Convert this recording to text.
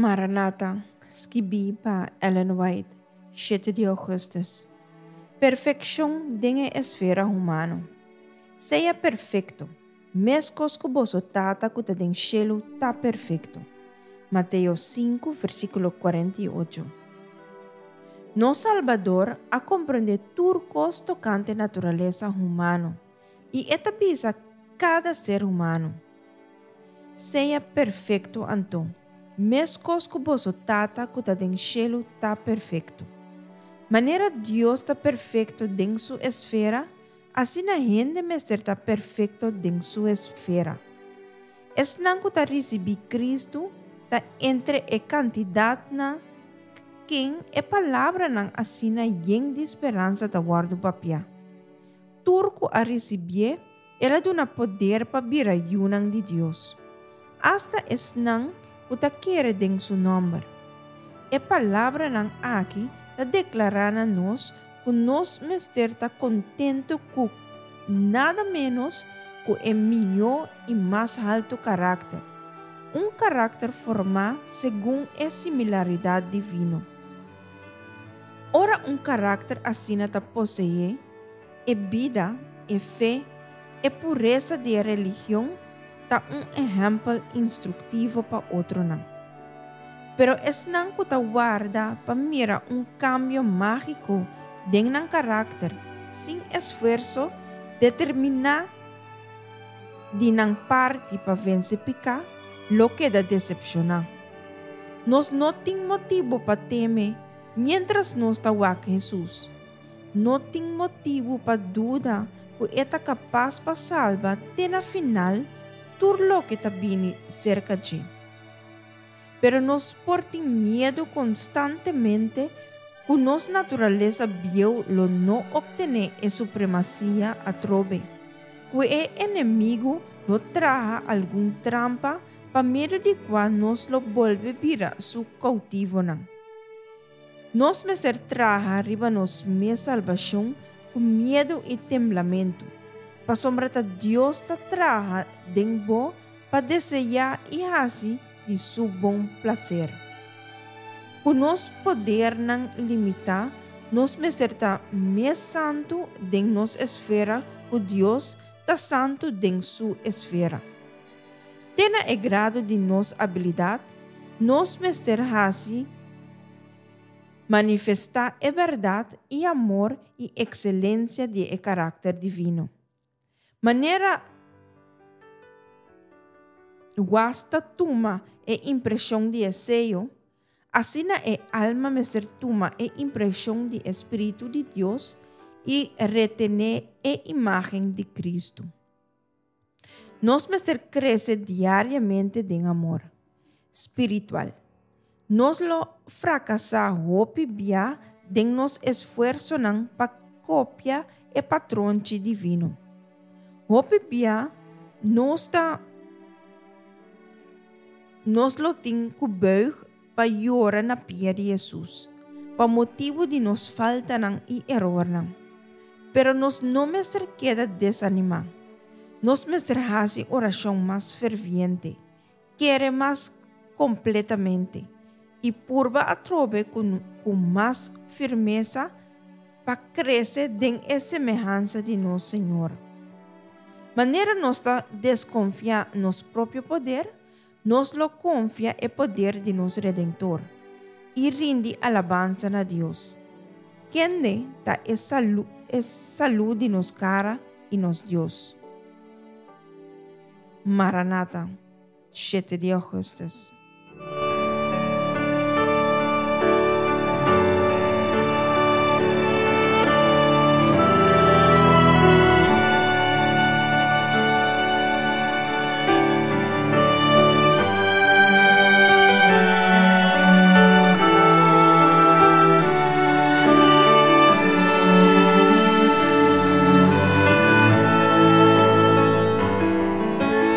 Maranata, skibí pa Ellen White, shete di ougùstùs. Perfekshon den e esfera humano. Sea perfekto, meskos ku boso Tata ku ta den shelu ta perfekto. Mateo sinku, versíkulo 48. Nos Salbador a komprondé tur kos tokante naturalesa humano i e ta bisa kada ser humano, Sea perfekto anto, meskos ku boso Tata ku ta den shelu ta perfekto. Manera Dios ta perfekto den su esfera, asina hende mester ta perfekto den su esfera. Esnan ku ta risibí Kristu ta entre e kantidat na ken e palabranan asina yen di speransa ta wòrdu papiá. Tur ku a risibié, El a duna poder pa bira yunan di Dios, asta esnan ku ta kere den su nòmber. E palabranan aki ta deklará na nos ku nos mester ta kontentu ku nada ménos ku e mihó i mas haltu karakter, un karakter formá segun e similaridat divino. Ora un karakter asina ta poseé, E bida, e fe, e puresa di e religion ta un ehèmpel instruktivo pa otronan. Pero esnan ku ta warda pa mira un kambio mágiko den nan karakter sin esfuerso determiná di nan parti pa vense piká lo keda desepshoná. Nos no tin motibu pa teme miéntras nos ta wak Hesus. No tin motibu pa duda ku e ta kapas pa salba te na final tur loke ta bini serka dje. Pero nos por tin miedu konstantemente ku nos naturalesa bieu lo no optené e supremasia atrobe, ku e enemigu lo traha algun trampa pa medio di kua nos lo bolbe bira su koutivonan. Nos mester traha riba nos mes salbashon ku miedu i temblamentu, pasobra ta Dios ta traha den bo pa deseá i hasi di su bon plaser. Ku nos podernan limitá, nos mester ta mes santu den nos esfera ku Dios ta santu den su esfera. Te na e grado di nos abilidat, nos mester hasi manifestá e bèrdat i amor i ekselensia di e karakter divino. Manera was ta tuma e impreshon di e seyo, asina e alma mester tuma e impreshon di e Spiritu di Dios i retené e imágen di Kristu. Nos mester krese diariamente den amor spiritual. Nos lo frakasá hopi bia den nos esfuersonan pa kopia e patronchi divino. Hopi bia nos ta nos lo tin ku buig pa yora na pia di Hesus pa motibu di nos faltanan i erornan. Pero nos no mester keda desanimá. Nos mester hasi orashon mas ferviente, kere mas kompletamente i purba atrobe ku ku mas firmesa pa krese den e semehansa di nos Señor. Manera nos ta deskonfiá nos propio poder, Nos lo konfia e poder di nos Redentor i rindi alabansa na Dios, kende ta e salu e salu di nos kara i nos Dios. Maranata, shete di ougùstùs.